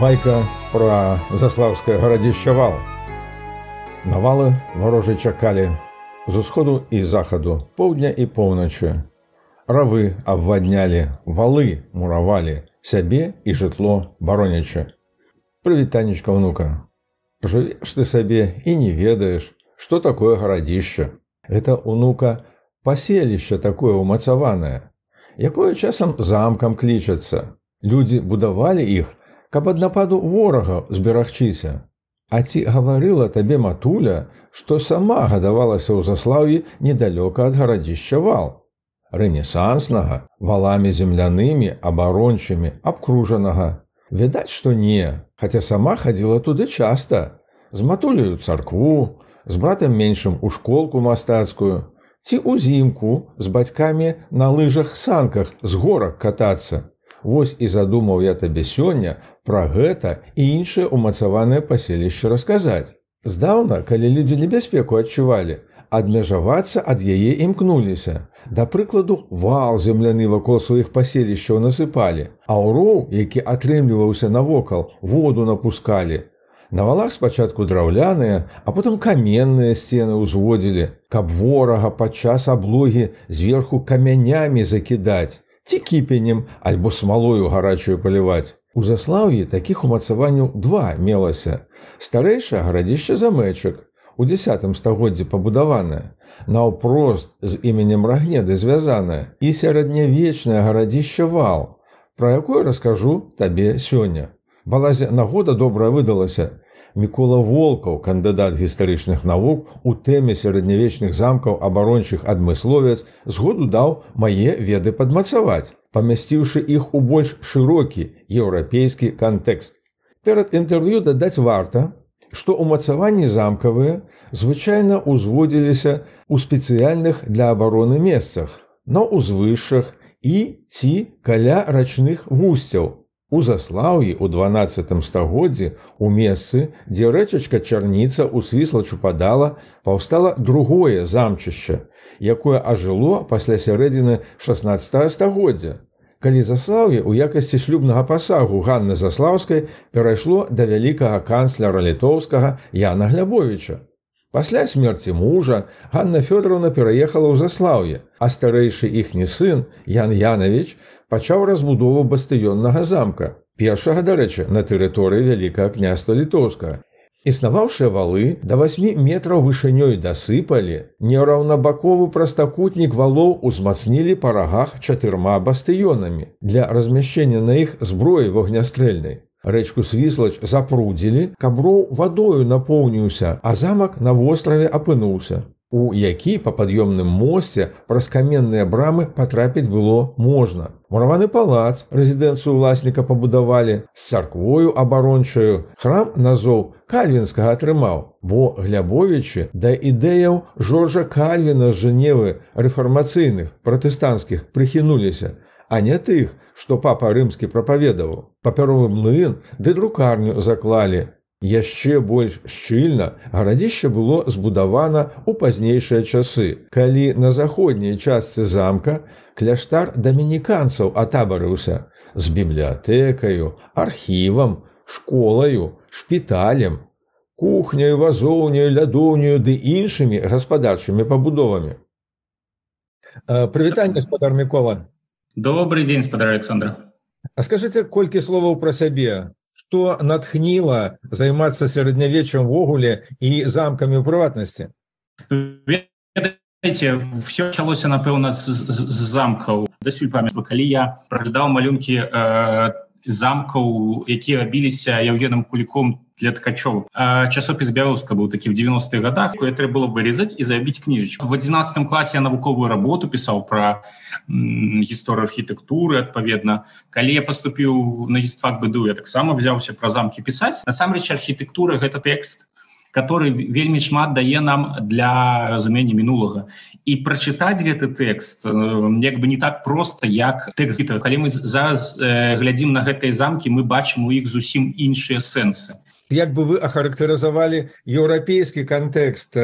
Байка пра заслаўскае гарадзішча Вал. Навалы варожы чакалі з усходу і захаду, поўдня і поўначы. Равы абваднялі, валы муравалі, сябе і жытло баронячы. Прывітанечка, ўнука. Жывеш ты сабе і не ведаеш, што такое гарадзішча. Гэта, ўнука, паселішча такое ўмацаванае, якое часам замкам клічацца. Людзі будавалі іх, каб ад нападу ворага зберагчыся. А ці гаварыла табе матуля, што сама гадавалася ў Заслаўі недалёка ад гарадзішча Вал, рэнесанснага, валамі землянымі, абарончымі, абкружанага? Відаць, што не, хаця сама хадзіла туды часта, з матуляю царкву, з братам меншым у школку мастацкую, ці ўзімку з бацькамі на лыжах-санках з горак катацца. Вось і задумаў я табе сёння пра гэта і іншае ўмацаванае паселішча расказаць. Здаўна, калі людзі небяспеку адчувалі, адмежавацца ад яе імкнуліся. Да прыкладу, вал земляны вакол сваіх паселішчаў насыпалі, а ў роў, які атрымліваўся навокал, воду напускалі. На валах спачатку драўляныя, а потым каменныя сцены ўзводзілі, каб ворага падчас аблогі зверху камянямі закідаць, ці кіпенем, альбо смалою гарачую паліваць. У Заслаўі такіх умацаванняў два мелася. Старэйшае гарадзішча Замэчак, у 10 стагоддзі пабудаванае, наўпрост з іменем Рагнеды звязанае, і сярэднявечнае гарадзішча Вал, пра якое раскажу табе сёння. Балазе нагода добрая выдалася. Мікола Волкаў, кандыдат гістарычных навук, у тэме сярэднявечных замкаў абарончых адмысловец, згоду даў мае веды падмацаваць, памясціўшы іх у больш шырокі еўрапейскі кантэкст. Перад інтэрв'ю дадаць варта, што ўмацаванні замкавыя звычайна ўзводзіліся ў спецыяльных для абароны месцах, на ўзвышшах і ці каля рачных вусцяў. У Заслаўі ў 12 стагоддзі у месцы, дзе рэчачка Чарніца усвісла чупадала, паўстала другое замчышча, якое ажыло пасля сярэдзіны 16 стагоддзя, калі Заслаўе ў якасці шлюбнага пасагу Ганны Заслаўскай перайшло да вялікага канцляра літоўскага Яна Глябовіча. Пасля смерці мужа Ганна Фёдоровна пераехала ў Заслаўе, а старэйшы іхні сын Ян Янавіч пачаў разбудову бастыённага замка, першага, дарэчы, на тэрыторыі Вялікага княства Літоўскага. Існаваўшыя валы да 8 метраў вышынёй дасыпалі, нераўнабаковы прастакутнік валоў узмацнілі па рагах 4 бастыёнамі для размяшчэння на іх зброі вогнястрэльнай. Рэчку Свіслач запрудзілі, каб роў вадою напоўніўся, а замак на востраве апынуўся, у які па пад'ёмным мосце праз каменныя брамы патрапіць было можна. Мураваны палац, рэзідэнцыю ўласніка пабудавалі, з царквою абарончаю, храм назоў Кальвінскага атрымаў, бо Глябовічы да ідэяў Жоржа Кальвіна з Жэневы рэфармацыйных, пратэстанцкіх прыхінуліся, а не тых, што папа рымскі прапаведаваў. Папяровы млын ды друкарню заклалі. Яшчэ больш шчыльна гарадзішча было збудавана ў пазнейшыя часы, калі на заходняй частцы замка кляштар дамініканцаў атабарыўся з бібліятэкаю, архівам, школаю, шпіталем, кухняю, вазоўняю, лядоўняю ды іншымі гаспадарчымі пабудовамі. Прывітанне, спадар Мікола. Добрый день, спадар Александр. А скажыце колькі словаў пра сябе. Што натхніла займацца сярэднявеччам ввогуле і замкамі ў прыватнасці? Ведаеце, все пачалося, напэўна, з замкаў. Дасюль памятаю, калі я праглядаў малюнкі замкаў, якія рабіліся Яўгенам Куліком для ткачоў. Часопіс «Бялоўска» быў такі в 90-х годах, якое трэба было вырезаць і забіць кніжачку. В 11 класе я навуковую работу пісаў пра гісторыю архітэктуры, адпаведна. Калі я паступіў на гістфак БДУ, я таксама взяўся пра замкі пісаць. Насамрэч, архітэктура — гэта тэкст, который вельмі шмат дае нам для разумення мінулага. І прачытаць гэты тэкст як бы не так проста, як тэкст. Калі мы зараз глядзім на гэтыя замкі, мы бачым у іх зусім іншыя сэнсы. Як бы вы ахарактарызавалі еўрапейскі кантэкст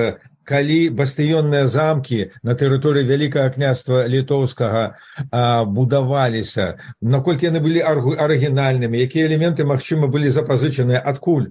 калі бастыённыя замкі на тэрыторыі Вялікага княства літоўскага будаваліся, наколькі яны былі арыгінальнымі, якія элементы, магчыма, былі запазычаныя адкуль?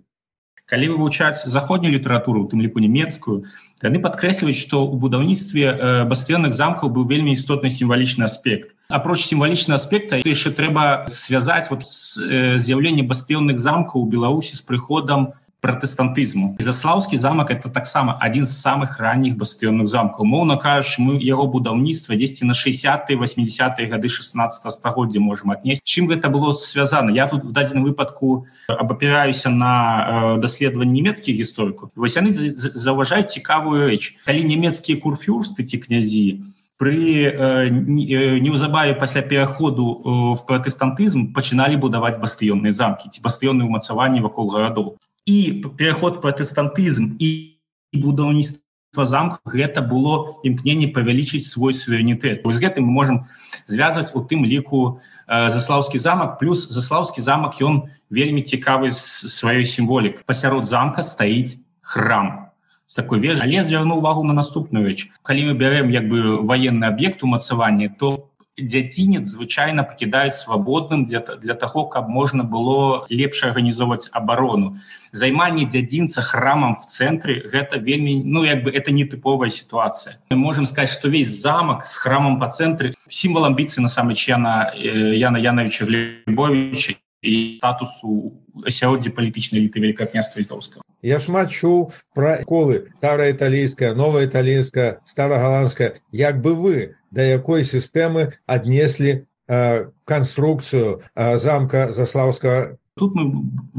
Калі вывучаць заходнюю літаратуру, у тым ліку нямецкую, яны падкрэсліваюць, што ў будаўніцтве бастыённых замкаў быў вельмі істотны сімвалічны аспект. Апроч сімвалічнага аспекта, яшчэ трэба звязаць з'яўленне бастыённых замкаў у Беларусі з прыходам пратэстантызму. Заслаўскі замак — это таксама адзін з самых ранніх бастыённых замкаў. Моўна кажучы, мы яго будаўніцтва дзесьці на 60-е, 80-е гады 16 стагоддзя можам аднесці. Чым гэта было звязана? Я тут в дадзеным выпадку абапіраюся на даследаванні нямецкіх гісторыкаў. Вось яны заўважаюць цікавую рэч. Калі нямецкія курфюрсты ці князі неўзабаве пасля пераходу в пратэстантызм пачыналі будаваць бастыённыя замкі ці бастыённыя ўмацаванні вакол гарадоў. І пераход пратэстантызм і будаўніцтва замкаў — гэта было імкненне павялічыць свой суверэнітэт. З гэтым мы можам звязваць у тым ліку Заслаўскі замак, плюс Заслаўскі замак ён вельмі цікавы сваёй сімволікай. Пасярод замка стаіць храм з такой вежай. Але звярну ўвагу на наступную рэч. Калі мы бярэм ваенны аб'ект умацавання, то дзядзінец звычайна пакідаюць свабодным для таго, каб можна было лепш арганізоўваць абарону. Займанне дзядзінца храмам в цэнтры — гэта вельмі, это нетыповая сітуацыя. Мы можам сказаць, што весь замак з храмам па цэнтры — сімвал амбіцый насамрэч Яна Яновича Глебовича і статусу асяроддзя палітычнай эліты Вялікага княства літоўскага. Я шмат чуў пра школы стараіталійская, новаіталійская, старагаландская. Як бы вы да якой сістэмы аднеслі канструкцыю замка Заслаўскага? Тут мы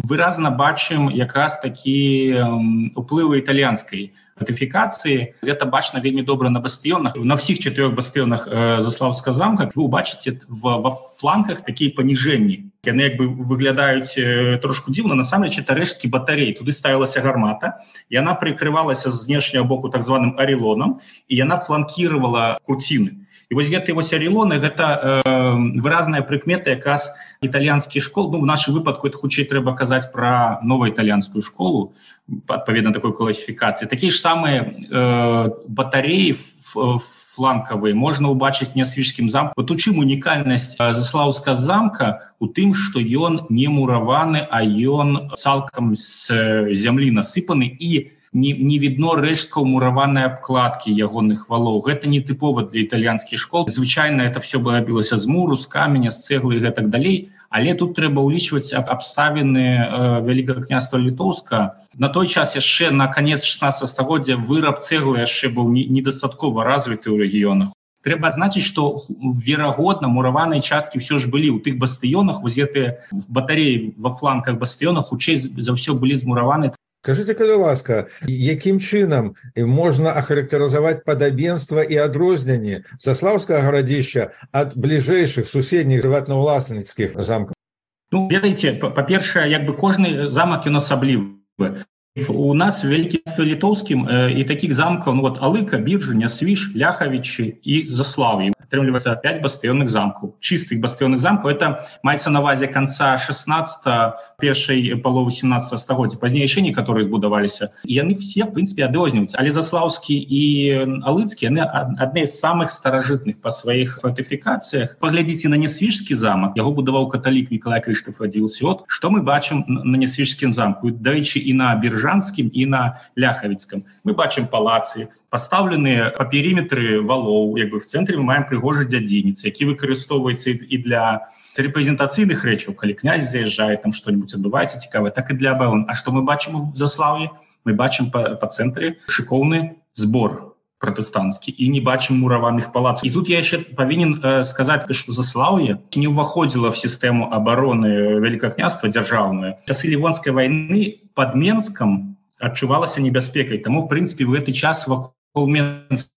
выразна бачым якраз такі уплывы італьянскай фортыфікацыі. Гэта бачна вельмі добра на бастыёнах. На ўсіх 4 бастыёнах Заслаўскага замка вы ўбачыце ва фланках такія паніжэнні. Яны выглядаюць трошку дзіўна. Насамрэч это рэшткі батарей. Туды ставілася гармата, яна прыкрывалася з знешняга боку так званым арелонам, і яна фланкіравала курціны. І вось гэтыя арелоны — гэта выразная прыкмета якраз італьянскіх школ. В нашым выпадку это хутчэй трэба казаць пра новаітальянскую школу, адпаведна такой класіфікацыі. Такія ж самыя батареі фланкавыя можна ўбачыць на Нясвіжскім замку. Вот у чым унікальнасць Заслаўскага замка? У тым, што ён не мураваны, а ён цалкам з зямлі насыпаны, і не відно рэшткаў мураванай абкладкі ягоных валоў. Гэта не тыпова для італьянскіх школ. Звычайна это все рабілася з муру, з каменя, з цэглы і гэтак далей. Але тут трэба ўлічваць абставіны Вялікага княства літоўскага. На той час яшчэ на канец 16 стагоддзя выраб цэглы яшчэ быў недастаткова развіты ў рэгіёнах. Трэба адзначыць, што верагодна мураваныя часткі ўсё ж былі ў тых бастыёнах. Вось гэтыя батареі ва фланках бастыёнах хутчэй за ўсё былі змураваны. Скажыце, калі ласка, якім чынам можна ахарактарызаваць падабенства і адрозненне Заслаўскага гарадзішча ад бліжэйшых суседніх прыватнаўласніцкіх замкаў? Ведаеце, па-першае, кожны замак ён асаблівы. У нас в Вялікім княстве літоўскім і такіх замкаў Алыка, Біржа, Нясвіж, Ляхавічы і Заслаўе. Атрымліваецца 5 бастыённых замкаў, чыстых бастыённых замкаў. Это маецца на ўвазе канца 16-го, першай паловы 17 стагоддзя. Пазней яшчэ некаторыя збудаваліся. І яны все, в прынцыпе, адрозніваюцца. Але Заслаўскі і Алыцкі, яны адны з самых старажытных па сваіх фортыфікацыях. Паглядзіце на Нясвіжскі замак. Яго будаваў каталік Мікалай Крыштаф Радзіўсёд. Што мы бачым на Нясвіжскім замку? Дарэчы, і на Біржанскім, і на Ляхавіцкім. Мы бачым палацы, пастаўленыя па перыметры валоў. В цэнтры мы маем прыгожы дзядзінец, які выкарыстоўваецца і для рэпрэзентацыйных рэчаў, калі князь заязджае, там што-нибудь адбываецца цікавае, так і для абароны. А што мы бачым в Заслаўі? Мы бачым па цэнтры шыкоўны збор пратэстанцкі і не бачым мураваных палацаў. І тут я яшчэ павінен сказаць, што Заслаўе не ўваходзіла в сістэму абароны Вялікага княства дзяржаўную. Часы Лівонскай вайны пад Менскам адчувалася небяспекай. Таму, в прынцыпе, в гэты час вакол Менска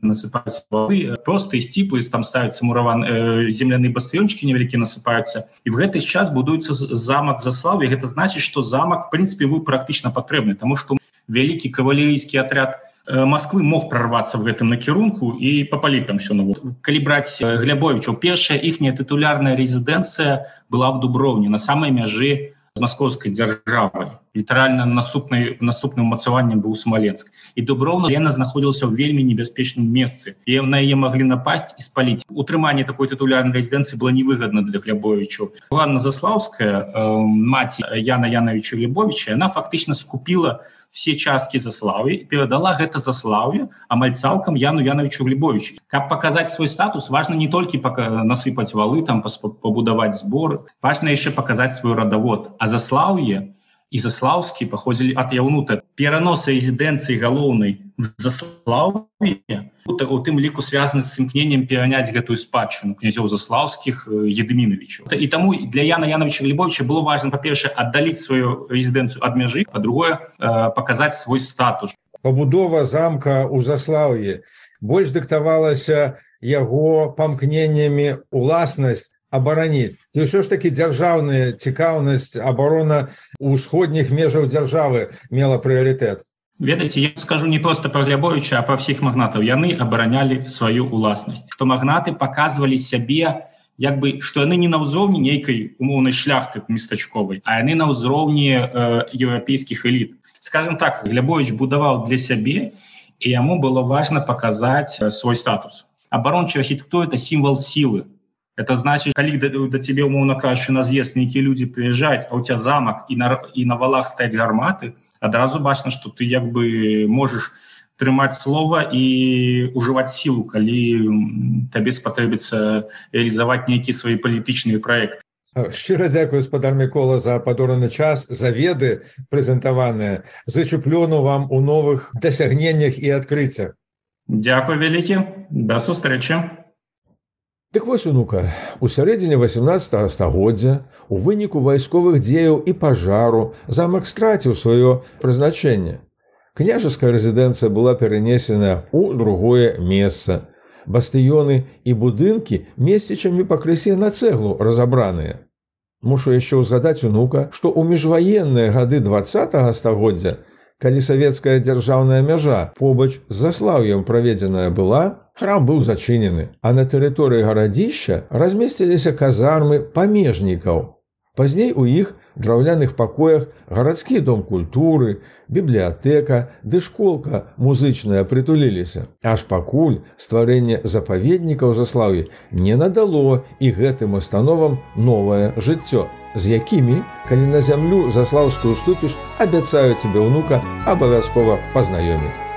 насыпаюцца валы, простыя сціпы, там ставяцца земляныя бастыёнчыкі невялікія насыпаюцца. І в гэты час будуецца замак в Заслаўе. Гэта значыць, што замак, в прынцыпе, быў практычна патрэбны, таму што вялікі кавалерыйскі атряд Москвы мог прорвацца в гэтым накірунку і папаліць там все. Калі браць Глебовічаў, першая іхняя тытулярная рэзідэнцыя была в Дубровні, на самай мяжы з маскоўскай дзяржавай. Літаральна наступным умацаваннем быў Смаленск. І Дубровна яна знаходзілася ў вельмі небяспечным месцы. І на яе маглі напасць і спаліць. Утрыманне такой тытулярнай рэзідэнцыі было невыгадна для Глебовічаў. Ганна Заслаўская, маці Яна Яновича Глебовича, яна фактычна скупіла все часткі Заслаўя і перадала гэта Заслаўе амаль цалкам Яну Яновичу Глебовичу. Каб паказаць свой статус, важна не толькі насыпаць валы, там пабудаваць зборы, важна яшчэ паказаць свой радавод. А Заслаўе і Заслаўскі паходзілі ад яўнута. Перанос рэзідэнцыі галоўнай в Заслаўе, у тым ліку звязаны з імкненнем пераняць гэтую спадчыну князёў Заслаўскіх Едмінавічаў. І таму для Яна Яновича Глебовича было важна, па-першае, аддаліць сваю рэзідэнцыю ад мяжы, па-другое, паказаць свой статус. Пабудова замка ў Заслаўі больш дыктавалася яго памкненнямі уласнасць абараніць. Ці ўсё ж такі дзяржаўная цікаўнасць, абарона ўсходніх межаў дзяржавы мела прыярытэт? Ведаеце, я скажу не проста пра Глебовича, а пра ўсіх магнатаў. Яны абаранялі сваю ўласнасць. Што магнаты паказвалі сябе, як бы, што яны не на ўзроўні нейкай умоўнай шляхты местачковай, а яны на ўзроўні еўрапейскіх эліт. Скажем так, Глебович будаваў для сябе, і яму было важна паказаць свой статус. Абарончая архітэктура – это сімвал сілы. Это значит, калі до тебе, умоўно кажучы, на з'езд нейкія людзі прыязджаюць, а у тебя замак і на валах стаяць гарматы, адразу бачна, што ты як бы можаш трымаць слова і ўжываць сілу, калі табе спатрэбіцца рэалізаваць нейкія свае палітычныя праекты. Шчыра дзякую, спадар Мікола, за падораны час, за веды прэзентаваныя. Зычу плёну вам у новых дасягненнях і адкрыццях. Дзякуй вялікі. Да сустрэчы. Дык вось, унука, у сярэдзіне 18 стагоддзя у выніку вайсковых дзеяў і пажару замак страціў сваё прызначэнне. Княжеская рэзідэнцыя была перанесена ў другое месца. Бастыёны і будынкі месцічамі пакрысе на цэглу разабраныя. Мушу яшчэ ўзгадаць, унука, што ў міжваенныя гады 20 стагоддзя, калі савецкая дзяржаўная мяжа побач з Заслаўем праведзеная была, храм быў зачынены, а на тэрыторыі гарадзішча размесціліся казармы памежнікаў. Пазней у іх драўляных пакоях гарадскі дом культуры, бібліятэка ды школка музычная прытуліліся. Аж пакуль стварэнне запаведніка ў Заслаўі не надало і гэтым установам новае жыццё, з якімі, калі на зямлю заслаўскую ступіш, абяцаю цябе, унука, абавязкова пазнаёміць.